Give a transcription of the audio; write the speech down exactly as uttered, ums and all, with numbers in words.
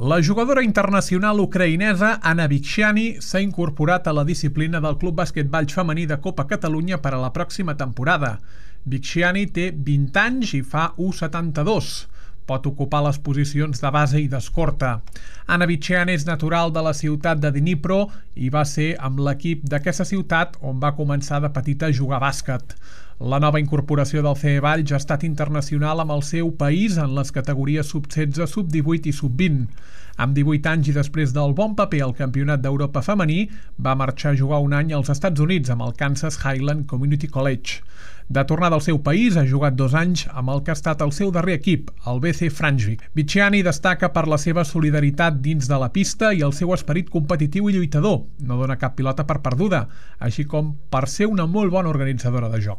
La jugadora internacional ucraïnesa Anna Vichani s'ha incorporat a la disciplina del Club Basquetball Femení de Copa Catalunya per a la pròxima temporada. Vichani té vint anys i fa u coma setanta-dos. Pot ocupar les posicions de base i d'escorta. Anna Vichani és natural de la ciutat de Dnipro i va ser amb l'equip d'aquesta ciutat on va començar de petita a jugar bàsquet. La nova incorporació del C E Valls ha estat internacional amb el seu país en les categories sub setze, sub divuit i sub vint. Amb divuit anys i després del bon paper al Campionat d'Europa femení, va marxar a jugar un any als Estats Units amb el Kansas Highland Community College. De tornada al seu país, ha jugat dos anys amb el que ha estat el seu darrer equip, el B C Franschwijk. Vichani destaca per la seva solidaritat dins de la pista i el seu esperit competitiu i lluitador. No dona cap pilota per perduda, així com per ser una molt bona organitzadora de joc.